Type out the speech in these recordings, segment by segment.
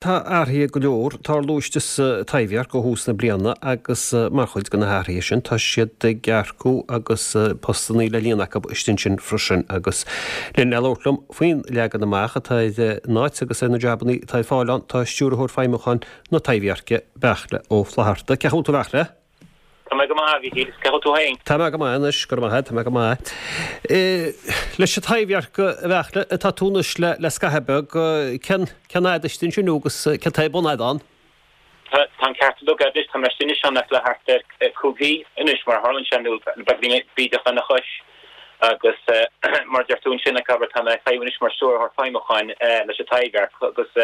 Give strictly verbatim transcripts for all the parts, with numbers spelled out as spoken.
Tá athruithe go leor ag tarlú istigh sa Taibhdhearc ó thús na bliana agus mar chuid de na hathruithe sin tá siad ag earcú agus postanna le líonadh acu istigh ansin freisin agus linn le labhairt liom faoin leagan amach atá ar an áit agus ar na jabanna atá ar fáil ann tá Stiúrthóir Feidhmiúcháin na Taibhdheirce, Beairtle Ó Flatharta. Cén chaoi a bhfuil tú a Bheairtle? Tá mé go maith, a Mhíchíl, is cén chaoi a bhfuil tú féin? Tá mé go maith anois, go raibh maith agat, tá mé go maith. Leis an Taibhdhearc, a Bheairtle, atá tú anois le le scaitheamh beag, cén cén fhad istigh ansin nó agus cén taobh bunaithe ann? Tá tá an ceart agat anois, tá mé istigh anois ann le thart ar cúig mhí anois mar a tharlaíonn sé nó beagáinín bídeach lena chois agus mar a deir tú ansin, abair, tá mé ag feidhmiú anois mar Stiúrthóir Feidhmiúcháin leis an Taibhdhearc agus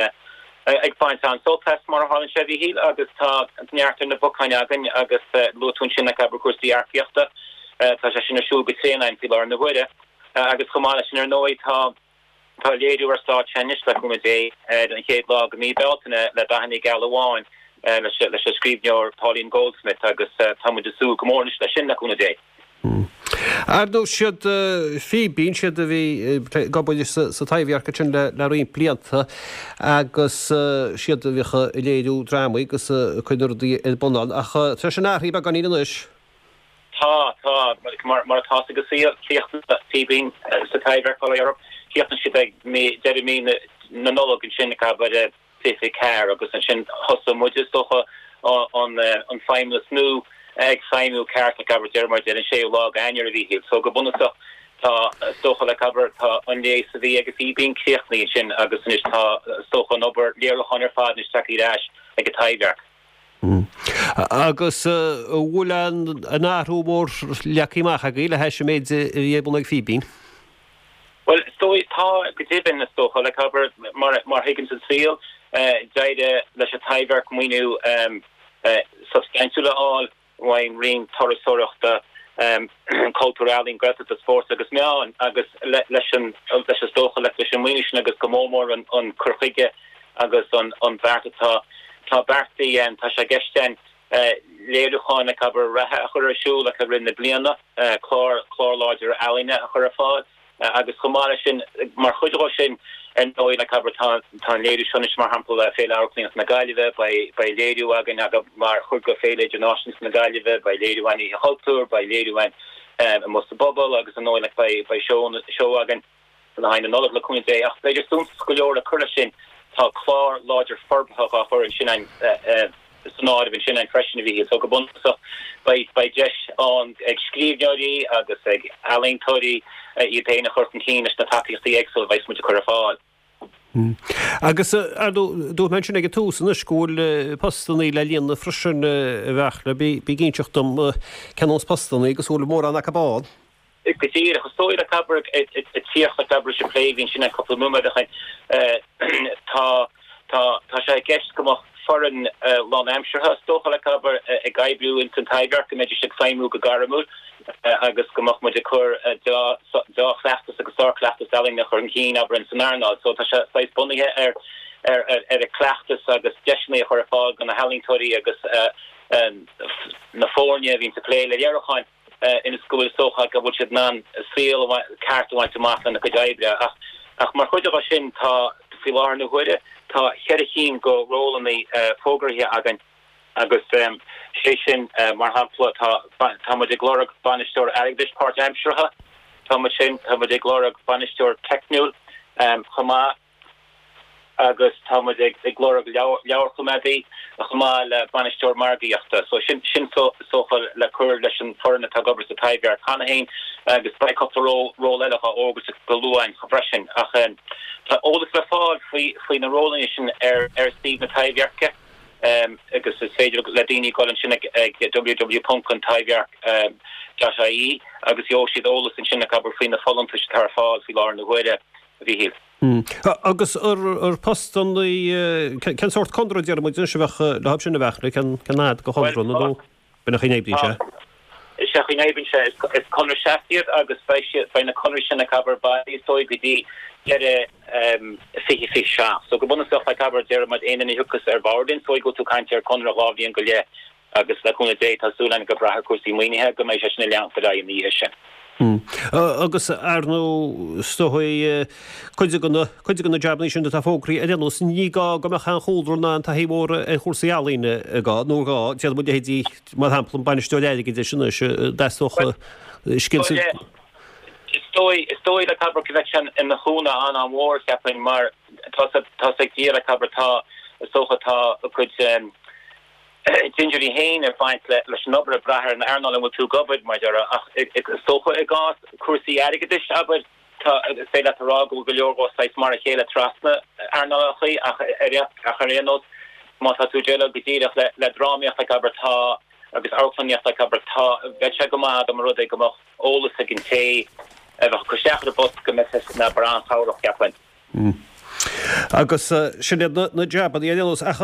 ag baint an-sult as, mar a tharlaíonn sé, a Mhíchíl, agus tá neart ar na bacáin againn agus luaigh tú ansin ag abair cúrsaí earcaíochta, tá sé sin ar siúl go tréan againn faoi láthair na huaire agus chomh maith leis sin ar ndóigh tá tá léiriú ar stáitse anois le cúnamh Dé ar an chéad lá de mhí Bealtaine le Dathanna Geala Amháin leis leis an scríbhneoir Pauline Goldsmith agus tá muid ag súil go mór anois leis sin le cúnamh Dé. Ar ndóigh, siad Fíbín, siad a bhí ag obair sa Taibhdhearc ansin le roinnt blianta agus siad a bhíodh ag léiriú drámaí agus ag cur na rudaí ar bun ann. Ach tá sin athraithe beagáinín anois. Tá, tá. Mar atá ag an saol, chríochnaigh Fíbín sa Taibhdhearc, bail ó Dhia orthu, chríochnaigh siad ag deireadh mí na Nollag ansin, ag abair, fiche fiche ceathair agus ansin thosaigh muid is dócha an an feidhmeannas nua ag feidhmiú ceart like abair deir muid ar an séú lá d'Eanáir a Mhíchíl so go bunúsach tá is dócha like abair tá an léas a bhí ag Fíbín críochnaithe ansin agus anois tá is dócha an obair léiriúcháin ar fad anois tagtha ar ais ag an Taibhdhearc. Agus an bhfuil aon athrú mór leagtha amach agaibh le hais an méid a bhí ar bun ag Fíbín? Bhuel, is dóigh, tá, go deimhin, is dócha, like, abair, mar, mar a thuigeanns an saol, d'éirigh leis an Taibhdhearc maoiniú substaintiúil a fháil ón Roinn Turasóireachta, Cultúir, Ealaíon, Gaeltachta, Spóirt agus Meán agus leis an, leis, is dócha, leis an maoiniú sin agus go mór mór an, an cur chuige agus an, an beart atá, tá beartaithe, tá sé i gceist againn léiriúcháin, like, abair, reatha a chur ar siúl, like, i rith na bliana, clár, clár láidir ealaíne a chur ar fáil. Agus chomh maith leis sin, mar chuid dhó sin, ar ndóigh, like abair, tá tá an léiriú seo anois, mar shampla, Féile Amharclannaíochta na Gaillimhe, beidh beidh léiriú againn aga mar chuid de Féile Idirnáisiúnta na Gaillimhe, beidh léiriú againn Oíche Chultúir, beidh léiriú againn amuigh sa bpobal agus ar ndóigh, like, beidh beidh seó seó againn le haghaidh na Nollag le cúnamh Dé. Ach b'fhéidir suntasach go leor le cur leis sin, tá clár láidir forbartha dhá chur ansin againn, san áireamh ansin againn freisin, a Mhíchíl. So go bunúsach beidh beidh deis ann ag scríbhneoirí agus ag ealaíontóirí iad féin a chur chun cinn leis na tacaíochtaí éagsúla a bheas muid ag cur ar fáil. Agus ar ndóigh dúirt mé ansin ag an tús anois go bhfuil postannaí le líonadh freisin a Bheairtle. Bí ag inseacht dom cén nós postannaí agus an bhfuil mórán acu ann. Go díreach, is dóigh like abair ag tíocht like abair leis an plé a bhí ansin an cúpla nóiméad ó shin, tá tá tá sé i gceist go mbeadh foireann lánaimseartha is dócha like abair ag oibriú ins an Taibhdhearc, go mbeidís ag feidhmiú go gairmiúil agus go mbeadh muid ag cur dea-chleachtas agus sárchleachtas ealaíne a chur chun cinn abair ins an earnáil. So tá sé saghas bunaithe ar ar ar chleachtas agus deiseanna a chur ar fáil do na healaíontóirí agus na foirne a bhíonns ag plé le léiriúcháin. ionas go bhfuil is dócha go bhfuil siad in ann saol ceart a bhaint amach lena gcuid oibre. Ach ach mar chuid de sin tá, faoi láthair na huaire, tá ceithre chinn de rólanna fógraithe againn agus sé sin, mar shampla, tá tá muid ag lorg bainisteoir airgeadais páirtaimseartha, tá muid sin, tá muid ag lorg bainisteoir teicniúil chomh maith. agus tá muid ag lorg leabharchoimeádaí chomh maith le bainisteoir margaíochta. So sin sin is dócha le cur leis an foireann atá ag obair sa Taibhdhearc cheana féin agus beidh cúpla ról ról eile á fhógairt go luath freisin. Ach tá eolas le fáil faoi faoi na rólanna sin ar ar suíomh na Taibhdheirce agus is féidir le daoine dul ansin ag ag www ponc an taibhdhearc dot ie agus gheobhaidh siad eolas ansin ag abair faoi na folúntais atá ar fáil faoi láthair na huaire, a Mhíchíl. Agus ar postannaí, cén sórt conradh déarfaidh muid anois a bheadh leo sin a bheadh, cén fhad de chonradh nó b'in an chaoi a n-oibríonn sé? Is é an chaoi a n-oibríonn sé, is conradh seasta iad agus beidh siad, beidh na conraí sin ag abair bailí is dóigh go dtí deireadh fiche fiche seacht. So go bunúsach like abair déarfaidh muid aon duine a thiocfas ar bord is dóigh go bhfuil tú ag caint ar conradh dhá bhliain go leith agus le cúnamh Dé tá súil againn go brath ar cúrsaí maoinithe go mbeidh sé sin ag leanacht ar aghaidh ina dhiaidh sin. Agus ar ndóigh is dóigh cuid de na cuid de na jabannaí sin atá fógraithe ar aon nós, ní gá go mbeadh aon chúlra ná aon taithí mhór ar chúrsaí ealaíne gá nó gá, d'fhéadfadh muid leithéidí mar shampla an bainisteoir airgeadais anois dteastódh scil sa Is dóigh is dóigh like abair go mbeadh sé ina chúnamh an-an-mhór cheapfainn mar tá tá ag díreach like abair tá is dócha tá a cuid dintiúirí féin ag baint leis an obair ag brath ar an earnáil ina bhfuil tú ag obair, mar a déarfá, ach is dócha i gcás cúrsaí airgeadais, abair, tá, is féidir leat a rá go bhfuil go leor dhó saghas mar a chéile trasna earnálacha ach ach ar aon nós má tá tú ag déileáil go díreach le le drámaíocht like abair tá agus amharclannaíocht like abair tá bheadh sé go maith dá mba rud é go mbeadh eolas ag an té a bheadh ag cur isteach ar an bpost go mbeadh sé sin abair an-chabhrach cheapfainn. Agus sin iad na jabannaí ar aon nós. Ach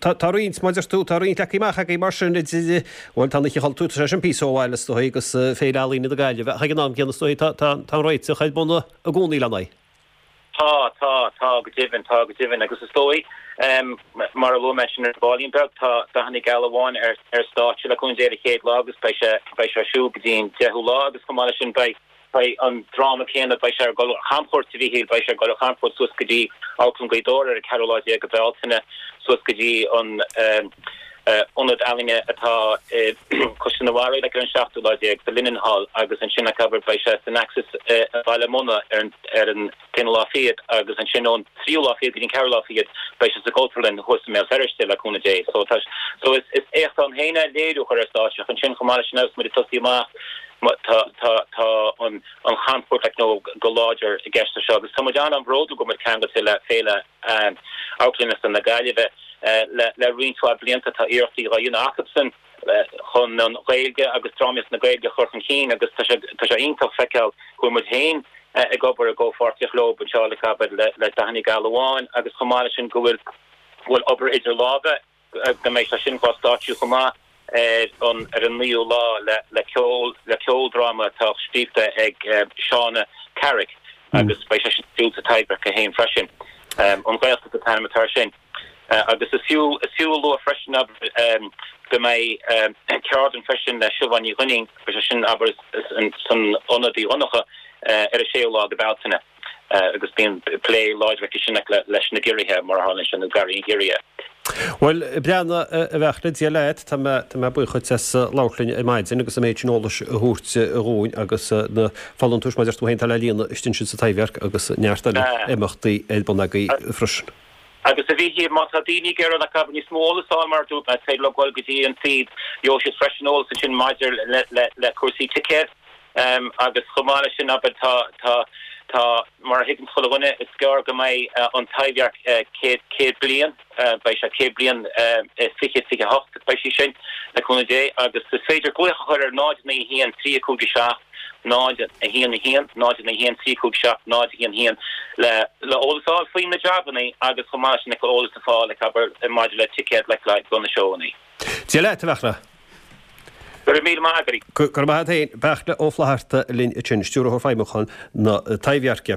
tá roinnt, mar a deir tú, tá roinnt leagtha amach agaibh mar sin idir, bhuel, tá an Oíche Chultúir, tá sé sin píosa ó bhaile is dóigh agus Féile Ealaíne na Gaillimhe, ach ag an am céanna is dóigh tá an réiteach ar bun i gcónaí lena aghaidh. Tá, tá, tá go deimhin, tá go deimhin agus is dóigh, mar a luaigh mé ansin ar baillín beag, tá Dathanna Geala Amháin ar ar stáitse le cúnamh Dé ar an chéad lá agus beidh sé, beidh sé ar siúl go dtí an deichiú lá agus chomh maith leis sin beidh, Beidh an dráma céanna, beidh sé ag dul ar chamchuairt, a Mhíchíl, beidh sé ag dul ar chamchuairt suas go dtí Amharclann Ghaoth Dobhair ar an ceathrú lá déag de Bhealtaine, suas go dtí an Ionad Ealaíne atá i Caisleán an Bharraigh like ar an seachtú lá déag, sa Linen Hall, agus ansin like abair beidh sé san Axis i Baile Munna ar an ar an t-aonú lá fichead agus ansin ón tríú lá fichead go dtí an ceathrú lá fichead beidh sé sa Chultúrlann thuas i mBéal Feirste le cúnamh Dé. So tá so is is éacht ann féin é léiriú a chur ar stáitse ach ansin chomh maith leis sin agus muid ag tosaí amach Tá tá an an chamchuairt like nó go láidir i gceist anseo agus tá muid an-an-bhródúil go bhfuil muid ceangailte le Féile Amharclannaíochta na Gaillimhe le le roinnt mhaith blianta tá iarrachtaí á dhéanamh acusan chun an Ghaeilge agus drámaíocht na Gaeilge a chur chun cinn agus tá sé tá sé iontach feiceáil go bhfuil muid féin ag obair i gcomhpháirtíocht leo anseo like abair le le Dathanna Geala Amháin agus chomh maith leis sin go bhfuil go bhfuil obair idir lámha go mbeidh sé sin dhá stáitsiú chomh maith ar an ar an naoú lá le le ceol le ceoldráma atá scríofa ag Shauna Carrick agus beidh sé sin ar siúl sa Taibhdhearc féin freisin. An Ghaeltacht an t-ainm atá air sin. Agus is fiú is fiú a lua freisin abair go mbeidh ceardlann freisin le Siobhán Ní Dhuinnín, beidh sé sin abair san Ionad Uí Dhonncha ar an séú lá de Bealtaine. Agus bíonn plé láidir aici sin leis na giorriatha, mar a tharlaíonn sé, nó garraí an ghiorria. Bhuel, a Bhreanna, a Bheairtle, Dia leat, tá mé, tá mé buíoch dhuit as labhairt linn ar maidin agus an méid sin eolais a thabhairt dhúinn agus na folúntais, mar a deir tú féin, atá le líonadh istigh ansin sa Taibhdhearc agus neart eile imeachtaí ar bun agaibh freisin. Agus a Mhíchíl, má tá daoine ag iarraidh like níos mó eolas a fháil mar a dúirt mé, is féidir leo dul go dtí an suíomh, gheobhaidh siad freisin eolas ansin maidir le, le, le cúrsaí ticéad. Agus chomh maith leis sin, abair, tá, tá, tá, mar a thuigeann chuile dhuine, is gearr go mbeidh an Taibhdhearc céad, céad bliain, beidh sé céad bliain i fiche, fiche hocht, beidh sí sin, le cúnamh Dé, agus is féidir glaoch a chur ar náid naoi a haon, trí a cúig a seacht, náid a haon a haon, náid naoi a haon, trí a cúig a seacht, náid a haon a haon, le, le eolas a fháil faoi na jabannaí agus chomh maith leis sin le eolas a fháil, like, abair, maidir le ticéad, like, le do na seóannaí. Dia leat, a Bheairtle. Go raibh míle maith agat. Go raibh maith agat féin. Beairtle Ó Flatharta linn ansin, Stiúrthóir Feidhmiúcháin na Taibhdheirce.